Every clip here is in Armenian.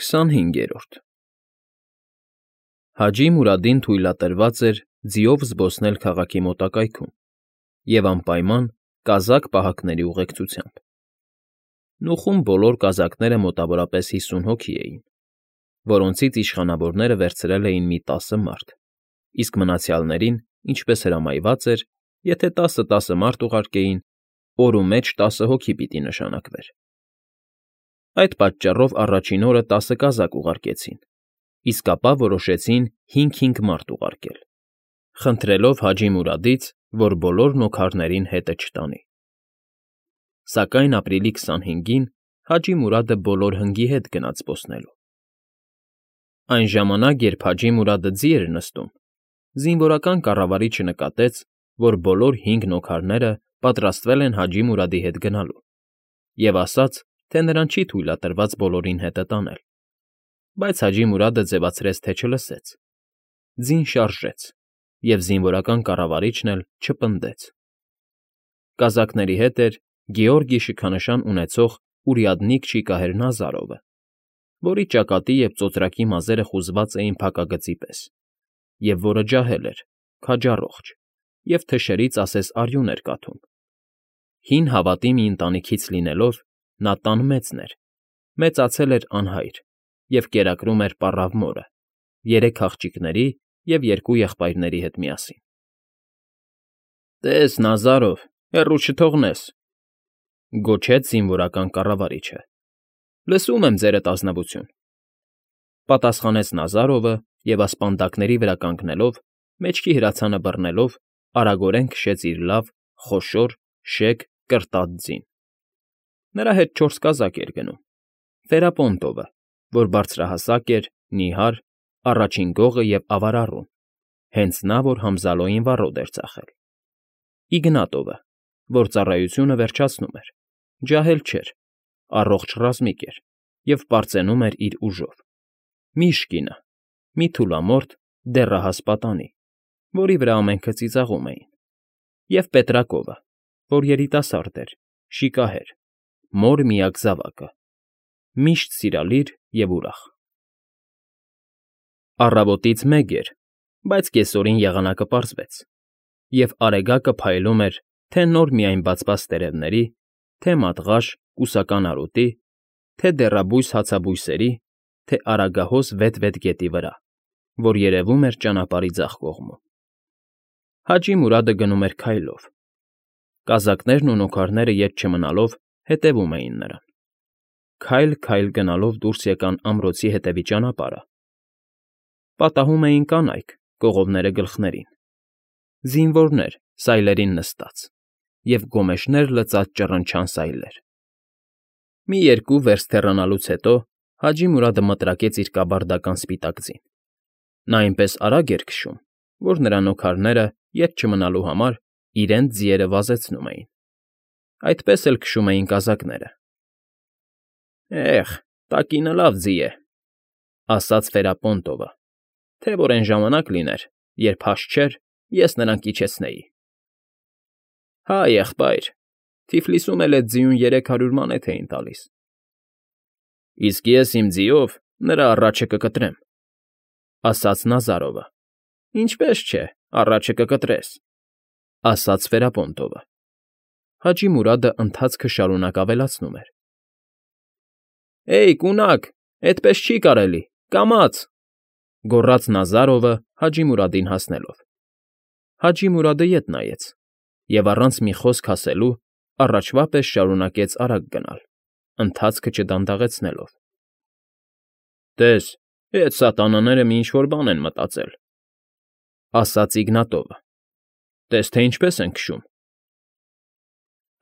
25-րդ Հաջի Մուրադին թույլատրված էր ձիով զբոսնել քաղաքի մոտակայքում և անպայման կազակ֊պահակների ուղեկցությամբ. նուխում բոլոր կազակները մոտավորապես 50 հոգի էին, որոնցից իշխանավորները վերցրել էին մի 10 մարդ, իսկ մնացյալներին, ինչպես հրամայված էր, եթե 10 մարդ ուղարկեին, օրու մեջ 10 հոգի պիտի նշանակվեր. այդ պատճառով առաջին օրը 10 կազակ ուղարկեցին, իսկ ապա որոշեցին 5-5 մարդ ուղարկել, խնդրելով Հաջի Մուրադից, որ բոլոր նոքարներին հետը չտանի։ Սակայն ապրիլի 25-ին Հաջի Մուրադը բոլոր հնգի հետ գնաց զբոսնելու։ Այն ժամանակ, երբ Հաջի Մուրադը ձի էր նստում, զինվորական կառավարիչը նկատեց, որ բոլոր 5 նոքարները պատրաստվել են Հաջի Մուրադի հետ գնալու, և ասաց, թե նրան չի թույլատրված բոլորին հետը տանել, բայց Հաջի Մուրադը ձևացրեց, թե չլսեց, ձին շարժեց, և զինվորական կառավարիչն էլ չպնդեց։ Կազակների հետ էր Գեորգի շքանշան ունեցող урядник Շիկահեր Նազարովը, որի ճակատի և ծոծրակի մազերը խուզված էին փակագծի պես, և որը ջահել էր, քաջառողջ և թշերից ասես արյուն էր կաթում։ Հին հավատի մի ընտանիքից լինելով, նա տան մեծն էր, մեծացել էր անհայր և կերակրում էր պառավ մորը, 3 աղջիկների և 2 եղբայրների հետ միասին։ ֊ Տես, Նազարով, հեռու չթողնես,֊ գոչեց զինվորական կառավարիչը։ ֊ Լսում եմ, ձերդ ազնվություն,֊ պատասխանեց Նազարովը և ասպանդակների վրա կանգնելով, մեջքի հրացանը բռնելով, արագորեն քշեց իր լավ, խոշոր, շեկ, կրտած ձին։ Նրա հետ 4 կազակ էր գնում. Ֆերապոնտովը, որ բարձրահասակ էր, նիհար, առաջին գողը և ավարառուն, հենց նա, որ Համզալոյին վառոդ էր ծախել. Իգնատովը, որ ծառայությունը վերջացնում էր, ջահել չէր, առողջ ռազմիկ էր և պարծենում էր իր ուժով. Միշկինը, մի թուլամորթ, դեռահաս պատանի, որի վրա ամենքը ծիծաղում էին, և Պետրակովը, որ երիտասարդ էր, շիկահեր, մոր միակ զավակը, միշտ սիրալիր և ուրախ։ Առավոտից մեկ էր, բայց կեսօրին եղանակը պարզվեց, և Արեգակը փայլում էր թե նոր միայն բացված տերևների, թե մատղաշ, կուսական արոտի, թե դեռաբույս հացաբույսերի, թե արագահոս վետ֊վետ գետի վրա, որ երևում էր ճանապարհի ձախ կողմում։ Հաջի Մուրադը գնում էր քայլով։ Կազակներն ու նոքարները ետ չմնալով հետևում էին նրան։ Քայլ֊քայլ գնալով դուրս եկան ամրոցի հետևի ճանապարհը։ Պատահում էին կանայք, կողովները գլխներին, զինվորներ սայլերին նստած և գոմեշներ լցած ճռնչան սայլեր։ Մի 2 վերստ հեռանալուց հետո Հաջի Մուրադը մտրակեց իր կաբարդական սպիտակ ձին։ Նա այնպես արագ էր քշում, որ նրա նոքարները, ետ չմնալու համար, իրենց ձիերը վազեցնում էին։ Այդպես էլ քշում էին կազակները։ ֊ Տակինը լավ ձի է,֊ ասաց Ֆերապոնտովը,֊ թե որ այն ժամանակ լիներ, երբ հաշ չէր, ես նրան կիջեցնեի։ ֊ Հա, եղբայր, Թիֆլիսում էլ էդ ձիուն 300 մանեթ էին տալիս։ ֊ Իսկ ես իմ ձիով նրա առաջը կկտրեմ,֊ ասաց Նազարովը։ ֊ Ինչպես չէ, առաջը կկտրես,֊ ասաց Ֆերապոնտովը։ Հաջի Մուրադը ընթացքը շարունակ ավելացնում էր. կունակ, էդպես չի կարելի, կամաց,֊ գոռաց Նազարովը Հաջի Մուրադին հասնելով։ Հաջի Մուրադը ետ նայեց և առանց մի խոսք ասելու առաջվա պես շարունակեց արագ գնալ, ընթացքը չդանդաղեցնելով։ ֊ Տես, էդ սատանաները մի ինչ֊որ բան են մտածել,֊ ասաց Իգնատովը։֊ Տես, թե ինչպես են քշում։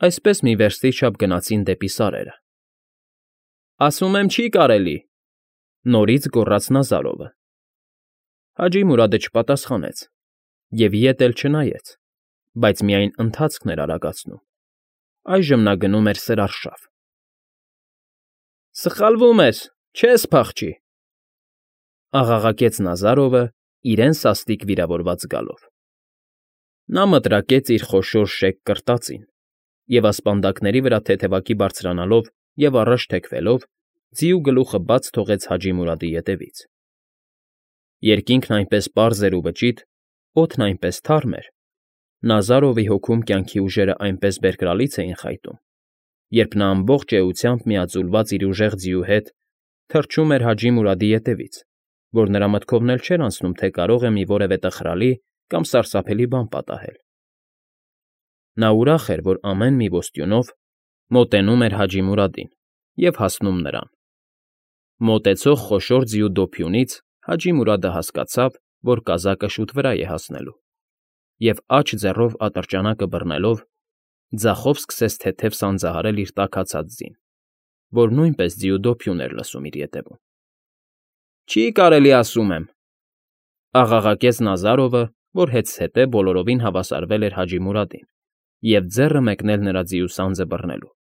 Այսպես մի վերստի չափ գնացին դեպի սարերը։ ֊ Ասում եմ, չի կարելի,֊ նորից գոռաց Նազարովը։ Հաջի Մուրադը չպատասխանեց և ետ էլ չնայեց, բայց միայն ընթացքն էր արագացնում։ Այժմ նա գնում էր սրարշավ։ ֊ Սխալվում ես, չես փախչի,֊ աղաղակեց Նազարովը իրեն սաստիկ վիրավորված զգալով։ Նա մտրակեց իր խոշոր շեկ կրտածին և ասպանդակների վրա թեթևակի բարձրանալով և առաջ թեքվելով ձիու գլուխը բաց թողեց Հաջի Մուրադի ետևից։ Երկինքն այնպես պարզ էր ու վճիտ, օդն այնպես թարմ էր, Նազարովի հոգում կյանքի ուժերը այնպես բերկրալից էին խայտում, երբ նա ամբողջ էությամբ միաձուլված իր ուժեղ ձիու հետ թռչում էր Հաջի Մուրադի ետևից, որ նրա մտքովն էլ չէր անցնում, թե կարող է մի որևէ տխրալի կամ սարսափելի բան պատահել։ Նա ուրախ էր, որ ամեն մի ոստյունով մոտենում էր Հաջի Մուրադին և հասնում նրան։ Մոտեցող խոշոր ձիու դոփյունից Հաջի Մուրադը հասկացավ, որ կազակը շուտ վրա է հասնելու, և աջ ձեռով ատրճանակը բռնելով, ձախով սկսեց թեթև սանձահարել իր տաքացած ձին, որ նույնպես ձիու դոփյուն էր լսում իր ետևում։ Չի կարելի, ասում եմ,֊ աղաղակեց Նազարովը, որ հետզհետե բոլորովին հավասարվել էր Հաջի Մուրադին և ձեռը մեկնել նրա ձիու սանձը բռնելու։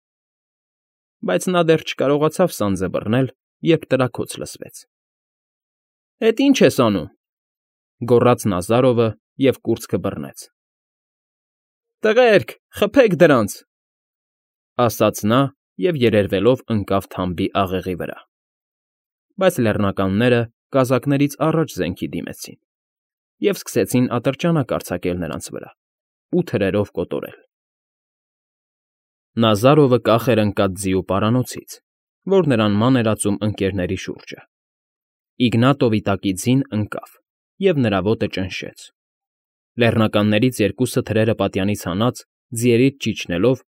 Բայց նա դեռ չկարողացավ սանձը բռնել, երբ տրաքոց լսվեց։ «Էդ ի՞նչ ես անում,֊ գոռաց Նազարովը և կուրծքը բռնեց։ «Տղերք, խփեք դրանց,֊ ասաց նա և երերվելով ընկավ թամբի աղեղի վրա։ Բայց լեռնականները կազակներից առաջ զենքի դիմեցին և սկսեցին ատրճանակ արձակել նրանց վրա ու թրերով կոտորել։ Նազարովը կախ էր ընկած ձիու պարանոցից, որ նրան ման էր ածում ընկներների շուրջը։ Իգնատովի տակի ձին ընկավ, և նրա ոտը ճնշեց։ Լեռնականներից երկուսը թրերը պատյանից հանած, ձիերից ճիչնելով,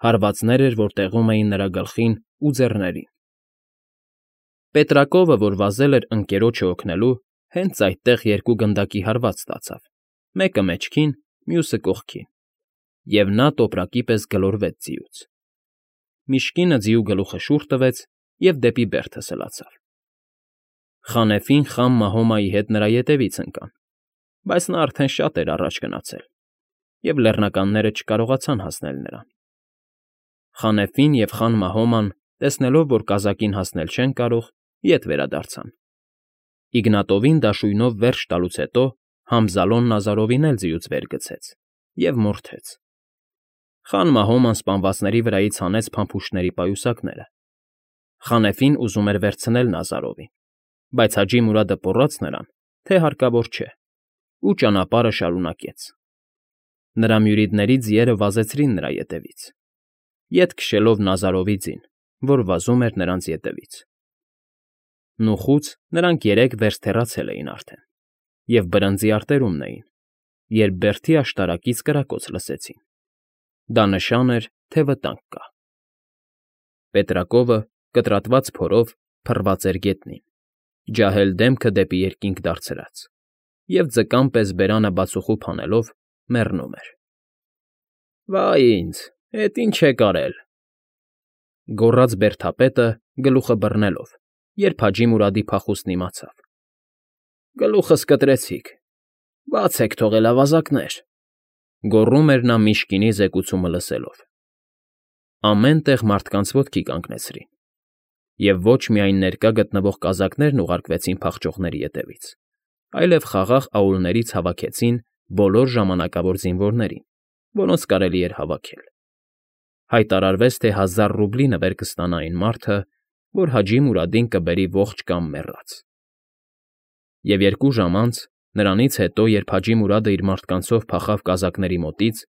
հարվածներ էր, որ տեղում էին նրա գլխին ու ձեռներին։ Պետրակովը, որ վազել էր ընկերոջը օգնելու, հենց այդտեղ երկու գնդակի հարված ստացավ, մեկը մեջքին, մյուսը կողքին, և նա տոպրակի պես գլորվեց ձիուց։ Միջկինը ձիու գլուխը շուռ տվեց և դեպի բերդը սլացավ։ Խանեֆին խամ Մահոմայի հետ նրա ետևից ընկան, բայց նա արդեն շատ էր առաջ գնացել, և լեռնականները չկարողացան հասնել նրան։ Խանեֆին և խան Մահոման, տեսնելով, որ կազակին հասնել չեն կարող, ետ վերադարձան։ Իգնատովին դաշույնով վերջ տալուց հետո Համզալոն Նազարովին էլ ձիուց վեր գցեց և մորթեց։ Խան Մահոման սպանվածների վրայից հանեց փամփուշտների պայուսակները։ Խանեֆին ուզում էր վերցնել Նազարովին, բայց Հաջի Մուրադը պոռաց նրան, թե հարկավոր չէ, ու ճանապարհը շարունակեց։ Նրա մյուրիդների ձիերը վազեցրին նրա ետևից, ետ քշելով Նազարովի ձին, որ վազում էր նրանց ետևից։ Նուխուց նրանք երեք վերց թեռացել էին արդեն և բրնձի արտերումն էին, երբ բերդի աշտարակից կրակոց լսեցին։ Դա նշան էր, թե վտանգ կա։ Պետրակովը, կտրատված փորով, փռված էր գետնին, ջահել դեմքը դեպի երկինք դարձրած, և ձկան պես բերանը բացուխուփ հանելով մեռնում էր։ «Վա՜յ ինձ, էդ ի՞նչ եք արել,֊ գոռաց բերդապետը, գլուխը բռնելով, երբ Հաջի Մուրադի փախուստն իմացավ։ Գլուխս կտրեցիք, բաց եք թողել, ավազակներ,֊ գոռում էր նա Միշկինի զեկուցումը լսելով։ Ամեն տեղ մարդկանց ոտքի կանգնեցրին, և ոչ միայն ներկա գտնվող կազակներն ուղարկվեցին փախչողների ետևից, այլև խաղաղ աուլներից հավաքեցին բոլոր ժամանակավոր զինվորներին, որոնց կարելի էր հավաքել։ Հայտարարվեց, թե 1000 ռուբլի նվեր կստանա այն մարդը, որ Հաջի Մուրադին կբերի ողջ կամ մեռած։ Եվ 2 ժամ անց, նրանից հետո, երբ Հաջի Մուրադը իր մարդկանցով փախավ կազակների մոտից,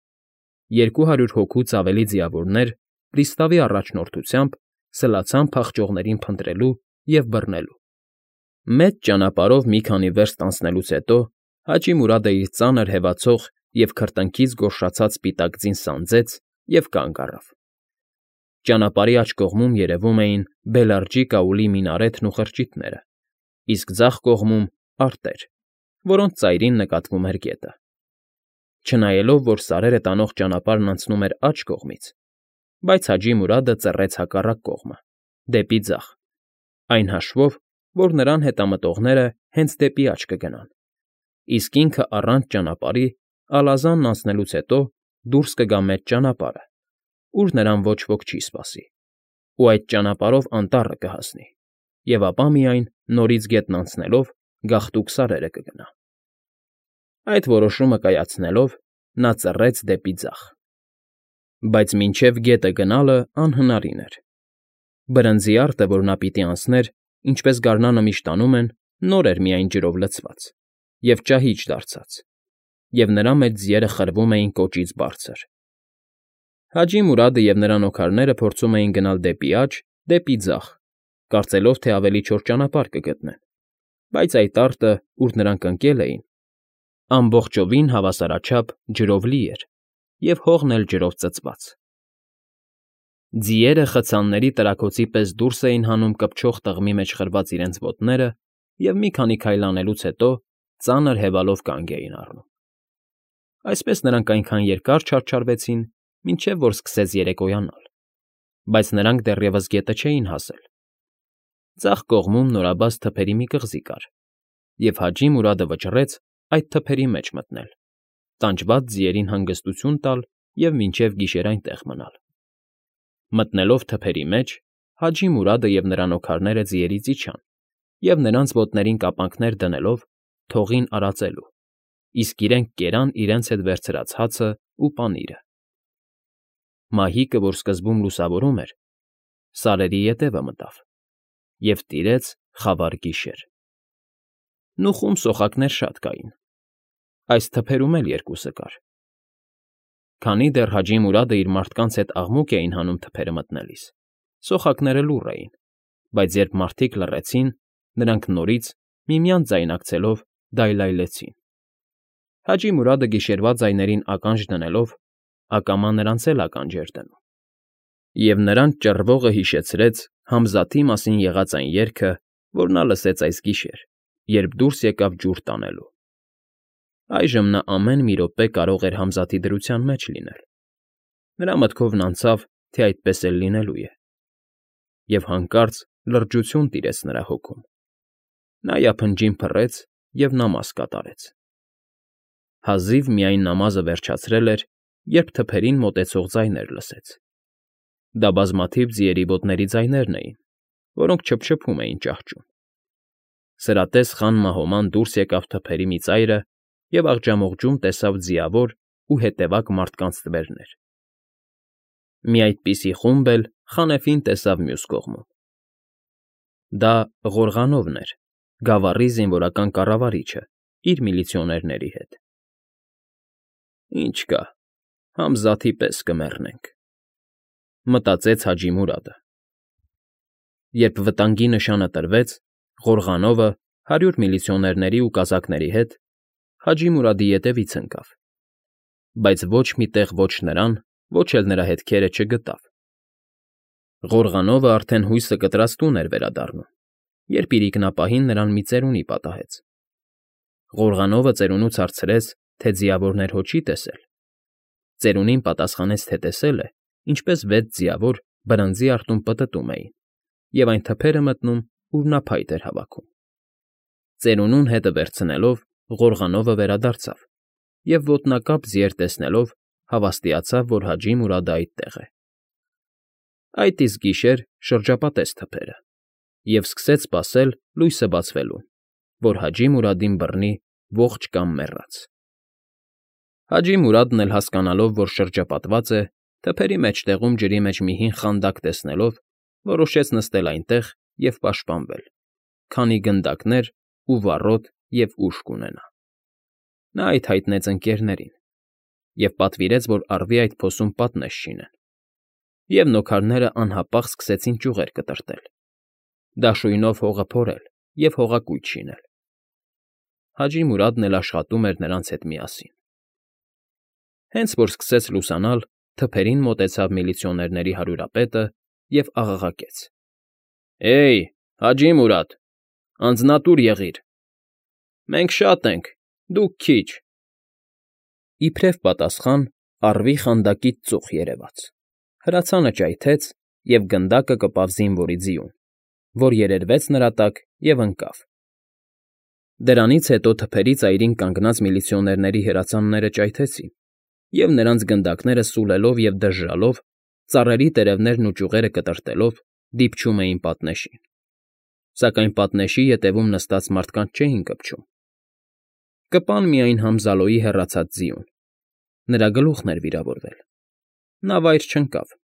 200 հոգուց ավելի ձիավորներ պրիստավի առաջնորդությամբ սլացան փախչողներին փնտրելու և բռնելու։ Մեծ ճանապարհով մի քանի վերստ անցնելուց հետո Հաջի Մուրադը իր ծանր հեվացող և քրտինքից գոռշացած սպիտակ ձին սանձեց և կանգ առավ։ Ճանապարհի աջ կողմում երևում էին Բելարջի կաուլի մինարեթն ու խրճիթները, իսկ ձախ կողմում՝ արտեր, որոնց ծայրին նկատվում էր գետը։ Չնայելով, որ սարերը տանող ճանապարհն անցնում էր աջ կողմից, բայց Հաջի Մուրադը ծռեց հակառակ կողմը, դեպի ձախ, այն հաշվով, որ նրան հետամտողները հենց դեպի աջ կգնան, իսկ ինքը առանց ճանապարհի Ալազանն անցնելուց հետո դուրս կգա մեծ ճանապարհը, ուր նրան ոչ ոք չի սպասի, ու այդ ճանապարհով անտառը կհասնի, և ապա միայն, նորից գետն անցնելով, գաղտուկ սարերը կգնա։ Այդ որոշումը կայացնելով՝ նա ծռեց դեպի ձախ։ Բայց մինչև գետը գնալը անհնարին էր։ Բրնձի արտը, որ նա պիտի անցներ, ինչպես գարնանը միշտ անում են, նոր էր միայն ջրով լցված և ճահիճ դարձած, և նրա մեջ ձիերը խրվում էին կոճից բարձր։ Հաջի Մուրադը և նրա նոքարները փորձում էին գնալ դեպի աջ, դեպի ձախ, կարծելով, թե ավելի չոր ճանապարհ կգտնեն, բայց այդ արտը, ուր նրանք ընկել էին, ամբողջովին հավասարաչափ ջրով լի էր և հողն էլ ջրով ծծված։ Ձիերը խցանների տրաքոցի պես դուրս էին հանում կպչող տղմի մեջ խրված իրենց ոտները և մի քանի քայլ անելուց հետո ծանր հևալով կանգ էին առնում։ Այսպես նրանք այնքան երկար չարչարվեցին, մինչև որ սկսեց երեկոյանալ, բայց նրանք դեռևս գետը չէին հասել։ Ձախ կողմում նորաբաց թփերի մի կղզի կար, և Հաջի Մուրադը վճռեց այդ թփերի մեջ մտնել, տանջված ձիերին հանգստություն տալ և մինչև գիշեր այնտեղ մնալ։ Մտնելով թփերի մեջ, Հաջի Մուրադը և նրա նոքարները ձիերից իջան և նրանց ոտներին կապանքներ դնելով թողին արածելու, իսկ իրենք կերան իրենց հետ վերցրած հացն ու պանիրը։ Մահիկը, որ սկզբում լուսավորում էր, սարերի ետևը մտավ, և տիրեց խավար գիշեր։ Նուխում սոխակներ շատ կային, այս թփերում էլ երկուսը կար։ Քանի դեռ Հաջի Մուրադը իր մարդկանց հետ աղմուկ էին հանում թփերը մտնելիս, սոխակները լուռ էին, բայց երբ մարդիկ լռեցին, նրանք նորից, միմյանց ձայնարկեցելով, դայլայլեցին։ Հաջի Մուրադը գիշերվա ձայներին ականջ դնելով, ակամա նրանց էլ ականջ էր դնում։ Եվ նրանց ճռվողը հիշեցրեց Համզաթի մասին եղած այն երգը, որ նա լսեց այս գիշեր, երբ դուրս եկավ ջուր տանելու։ Այժմ նա ամեն մի րոպե կարող էր Համզաթի դրության մեջ լինել։ Նրա մտքովն անցավ, թե այդպես էլ լինելու է։ Եվ հանկարծ լրջություն տիրեց նրա հոգում։ Նա յափնջին փռեց և նամազ կատարեց։ Հազիվ միայն նամազը վերջացրել էր, երբ թփերին մոտեցող ձայներ լսեց։ Դա բազմաթիվ ձիերի ոտների ձայներն էին, որոնք չփչփում էին ճահճում։ Սրատես խան Մահոման դուրս եկավ թփերի մի ծայրը և աղջամուղջում տեսավ ձիավոր ու հետևակ մարդկանց թվերներ։ Մի այդպիսի խումբ էլ Խանեֆին տեսավ մյուս կողմում։ Դա Ղորղանովն էր, գավառի զինվորական կառավարիչը, իր միլիցիոներների հետ։ «Ինչ կա, Համզաթի պես կմեռնենք», մտածեց Հաջի Մուրադը։ Երբ վտանգի նշանը տրվեց, Ղորղանովը 100 միլիցիոներների ու կազակների հետ Հաջի Մուրադի ետևից ընկավ, բայց ոչ մի տեղ ոչ նրան, ոչ էլ նրա հետքերը չգտավ։ Ղորղանովը արդեն հույսը կտրած տուն էր վերադառնում, երբ իրիկնապահին նրան մի ծերունի պատահեց։ Ղորղանովը ծերունուց հարցրեց, թե ձիավորներ հո չի տեսել։ Ծերունին պատասխանեց, թե տեսել է, ինչպես 6 ձիավոր բրնձի արտում պտտում էին և այն թփերը մտնում, ուր նա փայտ էր հավաքում։ Ծերունուն հետը վերցնելով, Ղորղանովը վերադարձավ և ոտնակապ ձիեր տեսնելով հավաստիացավ, որ Հաջի Մուրադը այդտեղ է։ Այդ իսկ գիշեր շրջապատեց թփերը և սկսեց սպասել լույսը բացվելուն, որ Հաջի Մուրադին բռնի ողջ կամ մեռած։ Հաջի Մուրադն էլ հասկանալով, որ շրջապատված է, թփերի մեջտեղում ջրի մեջ մի հին խանդակ տեսնելով, որոշեց նստել այնտեղ և պաշտպանվել, քանի գնդակներ ու վառոդ և ուժ կունենա։ Նա այդ հայտնեց ընկերներին և պատվիրեց, որ առվի այդ փոսում պատնեշ շինեն, և նոքարները անհապաղ սկսեցին ճյուղեր կտրտել, դաշույնով հողը փորել և հողակույտ շինել։ Հաջի Մուրադն էլ աշխատում էր նրանց հետ միասին։ Հենց որ սկսեց լուսանալ, թփերին մոտեցավ միլիցիոներների հարյուրապետը և աղաղակեց. «Էյ, Հաջի Մուրադ, անձնատուր եղիր։ Մենք շատ ենք, դուք քիչ»։ Իբրև պատասխան առվի խանդակից ծուխ երևաց, հրացանը ճայթեց, և գնդակը կպավ զինվորի ձիուն, որ երերվեց նրա տակ և ընկավ։ Դրանից հետո թփերի ծայրին կանգնած միլիցիոներների հրացանները ճայթեցին, և նրանց գնդակները սուլելով և դժժալով, ծառերի տերևներն ու ճյուղերը կտրտելով, դիպչում էին պատնեշին։ Սակայն պատնեշի ետևում նստած մարդկանց չէին կպչում։ Կպան միայն Համզալոյի հեռացած ձիուն։ Նրա գլուխն էր վիրավորվել։ Նա վայր չընկավ,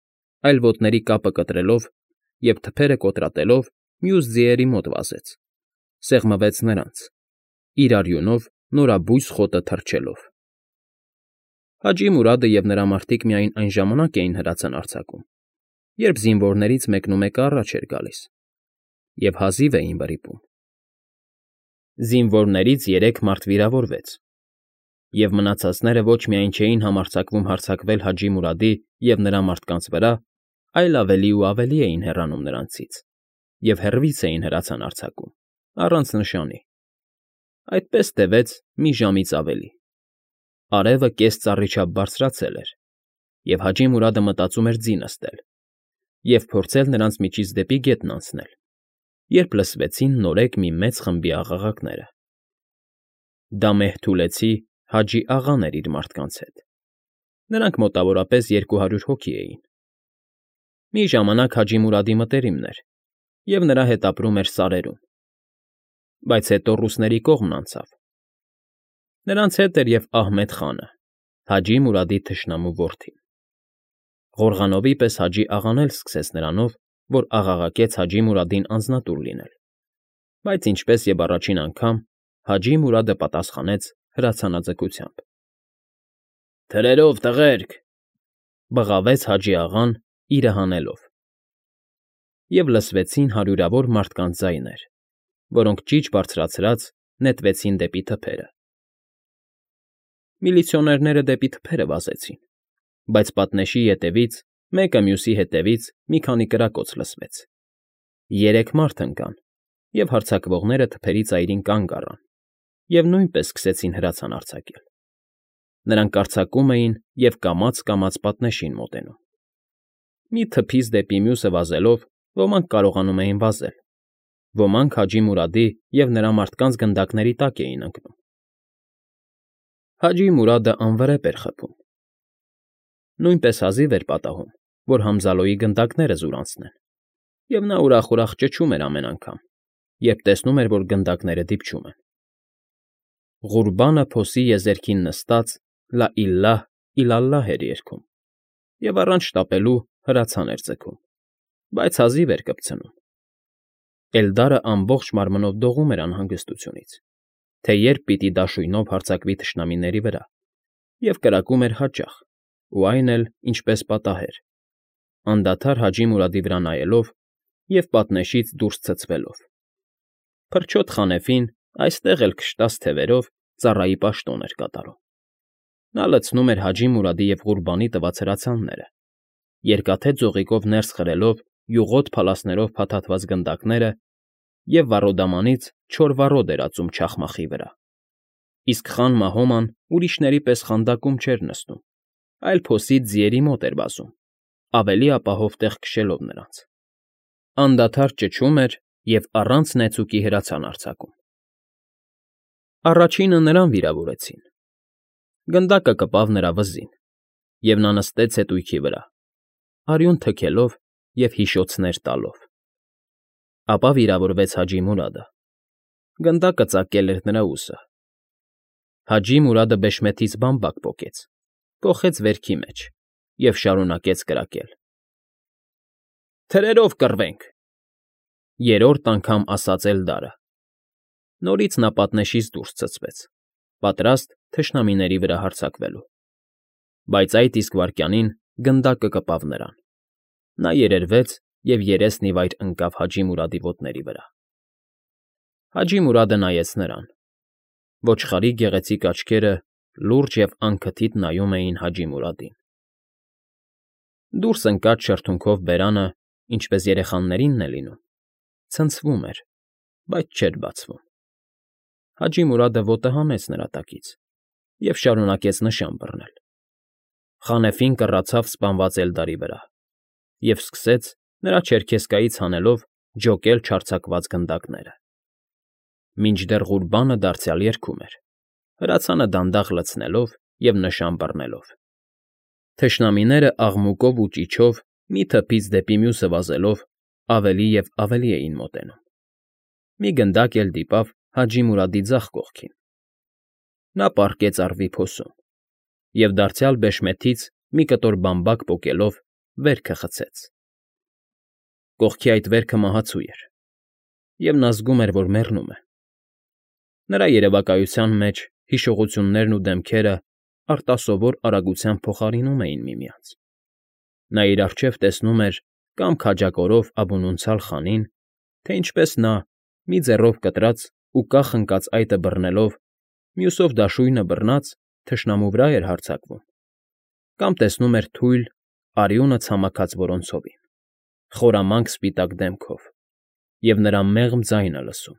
այլ ոտների կապը կտրելով և թփերը կոտրատելով մյուս ձիերի մոտ վազեց, սեղմվեց նրանց, իր արյունով նորաբույս խոտը թռչելով։ Հաջի Մուրադը և նրա մարդիկ միայն այն ժամանակ էին հրացան արձակում, երբ զինվորներից մեկնումեկը առաջ էր գալիս, և հազիվ էին վրիպում։ Զինվորներից 3 մարդ վիրավորվեց, և մնացածները ոչ միայն չէին համարձակվում հարձակվել Հաջի Մուրադի և նրա մարդկանց վրա, այլ ավելի ու ավելի էին հեռանում նրանցից և հեռվից էին հրացան արձակում, առանց նշանի։ Այդպես տևեց մի ժամից ավելի։ Արևը կես ծառի չափ բարձրացել էր, և Հաջի Մուրադը մտածում էր ձի նստել և փորձել նրանց միջից դեպի գետն անցնել, երբ լսվեցին նորեկ մի մեծ խմբի աղաղակները։ Դա Մեհթուլեցի Հաջի աղան էր իր մարդկանց հետ։ Նրանք մոտավորապես 200 հոգի էին։ Մի ժամանակ Հաջի Մուրադի մտերիմն էր, և նրա հետ ապրում էր սարերում, բայց հետո ռուսների կողմն անցավ։ Նրանց հետ էր և Ահմեդ խանը, Հաջի Մուրադի թշնամու որդին։ Ղորղանովի պես Հաջի աղան էլ սկսեց նրանով, որ աղաղակեց Հաջի Մուրադին անձնատուր լինել, բայց ինչպես և առաջին անգամ, Հաջի Մուրադը պատասխանեց հրացանաձգությամբ։ «Թրերով, տղերք», բղավեց Հաջի աղան, իրը հանելով։ Եվ լսվեցին հարյուրավոր մարդկանց ձայներ, որոնք ճիչ բարձրացրած նետվեցին դեպի թփերը։ Միլիցիոներները դեպի թփերը վազեցին, բայց պատնեշի ետևից, մեկը մյուսի հետևից մի քանի կրակոց լսվեց։ 3 մարդ ընկան, և հարձակվողները թփերի ծայրին կանգ առան և նույնպես սկսեցին հրացան արձակել։ Նրանք արձակում էին և կամաց֊կամաց պատնեշին մոտենում։ Մի թփից դեպի մյուսը վազելով ոմանք կարողանում էին վազել, ոմանք Հաջի Մուրադի և նրա մարդկանց գնդակների տակ էին ընկնում։ Հաջի Մուրադը անվրեպ էր խփում։ Նույնպես հազիվ էր պատահում, որ Համզալոյի գնդակները զուրանցնեն, և նա ուրախ֊ուրախ ճչում էր ամեն անգամ, երբ տեսնում էր, որ գնդակները դիպչում են։ Ղուրբանը փոսի եզերքին նստած «Լա իլլահ, իլալլահ» էր երգում և առանց շտապելու հրացան էր ձգում, բայց հազիվ էր կպցնում։ Էլդարը ամբողջ մարմնով դողում էր անհանգստությունից, թե երբ պիտի դաշույնով հարձակվի թշնամիների վրա, և կրակում էր հաճախ, ու այն էլ, ինչպես պատահեր, անդադար Հաջի Մուրադի վրա նայելով և պատնեշից դուրս ցցվելով։ Փրչոտ Խանեֆին այստեղ էլ քշտած թևերով ծառայի պաշտոն էր կատարում։ Նա լցնում էր Հաջի Մուրադի և Ղուրբանի տված հրացանները, երկաթե ձողիկով ներս խրելով յուղոտ փալասներով փաթաթված գնդակները և վառոդամանից չոր վառոդ էր ածում չախմախի վրա, իսկ Խան Մահոման ուրիշների պես խանդակում չէր նստում, այլ փոսից ձիերի մոտ էր վազում, ավելի ապահով տեղ քշելով նրանց։ Անդադար ճչում էր և առանց նեցուկի հրացան արձակում։ Առաջինը նրան վիրավորեցին։ Գնդակը կպավ նրա վզին, և նա նստեց հետույքի վրա, արյուն թքելով և հիշոցներ տալով։ Ապա վիրավորվեց Հաջի Մուրադը։ Գնդակը ծակել էր նրա ուսը։ Հաջի Մուրադը բեշմեթից բամբակ պոկեց, կոխեց վերքի մեջ և շարունակեց կրակել։ «Թրերով կռվենք», երրորդ անգամ ասաց Էլդարը։ Նորից նա պատնեշից դուրս ցցվեց, պատրաստ թշնամիների վրա հարձակվելու։ Բայց այդ իսկ վայրկյանին գնդակը կպավ նրան։ Նա երերվեց և երեսն ի վայր ընկավ Հաջի Մուրադի ոտների վրա։ Հաջի Մուրադը նայեց նրան։ Ոչխարի գեղեցիկ աչքերը լուրջ և անքթիթ նայում էին Հաջի Մուրադին։ Դուրս ընկած շրթունքով բերանը, ինչպես երեխաներինն է լինում, ցնցվում էր, բայց չէր բացվում։ Հաջի Մուրադը ոտը հանեց նրա տակից և շարունակեց նշան բռնել։ Խանեֆին կռացավ սպանված Էլդարի վրա և սկսեց, նրա չերքեզկայից հանելով, ջոկել չարձակված գնդակները։ Մինչդեռ Ղուրբանը դարձյալ երգում էր, հրացանը դանդաղ լցնելով և նշան բռնելով։ Թշնամիները աղմուկով ու ճիչով մի թփից դեպի մյուսը վազելով ավելի և ավելի էին մոտենում։ Մի գնդակ էլ դիպավ Հաջի Մուրադի ձախ կողքին։ Նա պառկեց առվի փոսում և դարձյալ բեշմեթից մի կտոր բամբակ պոկելով վերքը խցեց։ Կողքի այդ վերքը մահացու էր, և նա զգում էր, որ մեռնում է։ Նրա երևակայության մեջ հիշողություններն ու դեմքերը արտասովոր արագությամբ փոխարինում էին միմյանց։ Նա իր առջև տեսնում էր կամ քաջակորով աբունունցալ խանին, թե ինչպես նա, մի ձեռով կտրած ու կախ ընկած այտը բռնելով, մյուսով դաշույնը բռնած, թշնամու վրա էր հարձակվում, կամ տեսնում էր թույլ, արյունը ցամաքած որոնցովին, խորամանկ սպիտակ դեմքով, և նրա մեղմ ձայնը լսում,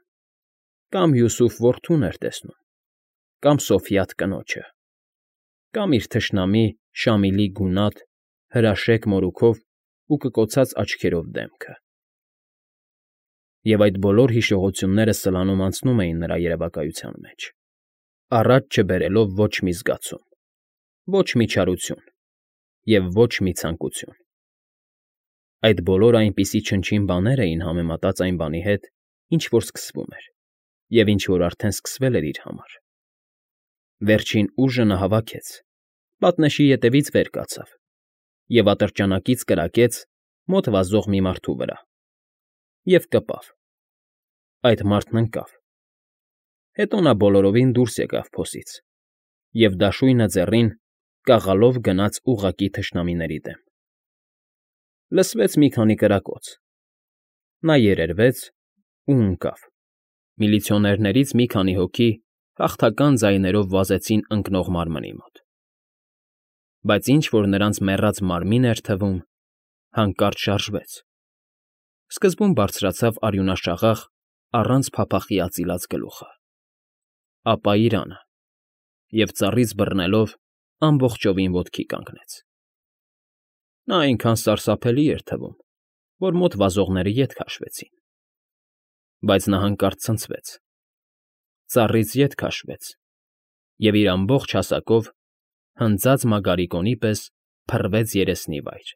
կամ Յուսուֆ որդուն էր տեսնում, կամ Սոֆյաթ կնոջը, կամ իր թշնամի Շամիլի գունատ, հրաշեկ մորուքով ու կկոցած աչքերով դեմքը։ Եվ այդ բոլոր հիշողությունները սլանում անցնում էին նրա երևակայության մեջ, առաջ չբերելով ոչ մի զգացում, ոչ մի չարություն և ոչ մի ցանկություն։ Այդ բոլորը այնպիսի չնչին բաներ էին համեմատած այն բանի հետ, ինչ որ սկսվում էր, և ինչ որ արդեն սկսվել էր իր համար։ Վերջին ուժը նա հավաքեց, պատնեշի ետևից վեր կացավ և ատրճանակից կրակեց մոտ վազող մի մարդու վրա և կպավ. այդ մարդն ընկավ։ Հետո նա բոլորովին դուրս եկավ փոսից և դաշույնը ձեռին կաղալով գնաց ուղղակի թշնամիների դեմ։ Լսվեց մի քանի կրակոց։ Նա երերվեց ու ընկավ։ Միլիցիոներներից մի քանի հոգի հաղթական ձայներով վազեցին ընկնող մարմնի մոտ։ Բայց ինչ որ նրանց մեռած մարմին էր թվում, հանկարծ շարժվեց։ Սկզբում բարձրացավ արյունաշաղախ, առանց փափախի ածիլած գլուխը, ապա իրանը, և ծառից բռնելով ամբողջովին ոտքի կանգնեց։ Նա այնքան սարսափելի էր թվում, որ մոտ վազողները ետ քաշվեցին։ Բայց նա հանկարծ ցնցվեց, ծառից ետ քաշվեց և իր ամբողջ հասակով հնձած մագարիկոնի պես փռվեց երեսնի վայր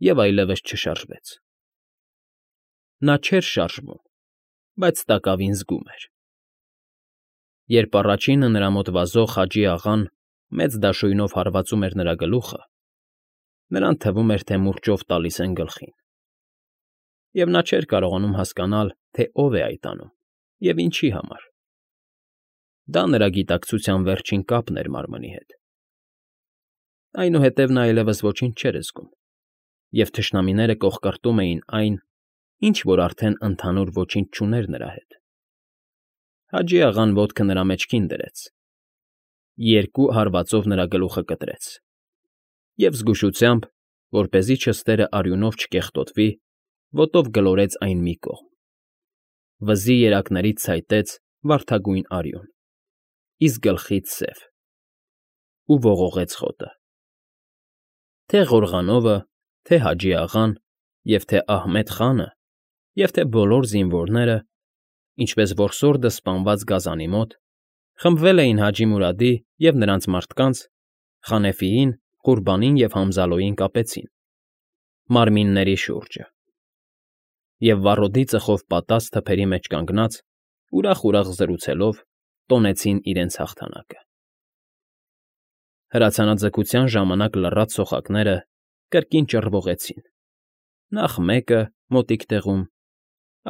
և այլևս չշարժվեց։ Նա չէր շարժվում, բայց տակավին զգում էր։ Երբ առաջինը նրա մոտ վազող Խաջի աղան մեծ դաշույնով հարվածում էր նրա գլուխը, նրան թվում էր, թե մուրճով տալիս են գլխին։ Եվ նա չէր կարողանում հասկանալ, թե ով է այդ անում և ինչի համար։ Դա նրա գիտակցության վերջին կապն էր մարմնի հետ։ Այնուհետև նա այլևս ոչինչ չէր զգում, և թշնամիները կոխկրտում էին այն, ինչ որ արդեն ընդհանուր ոչինչ չուներ նրա հետ։ Հաջի աղան ոտքը նրա մեջքին դրեց, երկու հարվածով նրա գլուխը կտրեց և զգուշությամբ, որպեսզի չստերը արյունով չկեղտոտվի, ոտով գլորեց այն մի կողմ։ Վզի երակներից ցայտեց վարդագույն արյուն, իսկ գլխից՝ սև, ու ողողեց խոտը։ Թե Ղորղանովը, թե Հաջի աղան, և թե Ահմեդ֊խանը, և թե բոլոր զինվորները, ինչպես որսորդը սպանված գազանի մոտ, խմբվել էին Հաջի Մուրադի և նրանց մարդկանց, Խանեֆիին, Ղուրբանին և Համզալոյին կապեցին, մարմինների շուրջը, և վառոդի ծխով պատած թփերի մեջ կանգնած, ուրախ֊ուրախ զրուցելով, տոնեցին իրենց հաղթանակը։ Հրացանաձգության ժամանակ լռած սոխակները կրկին ճռվողեցին, նախ մեկը մոտիկ տեղում,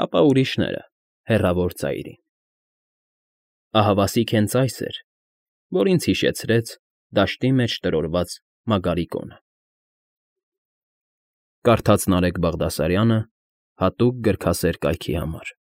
ապա ուրիշները հեռավոր ծայրին։ Ահավասիկ հենց այս էր, որ ինձ հիշեցրեց դաշտի մեջ տրորված Մագարիկոնը։ Կարդաց Նարեկ Բաղդասարյանը հատուկ գրքասեր կայքի համար։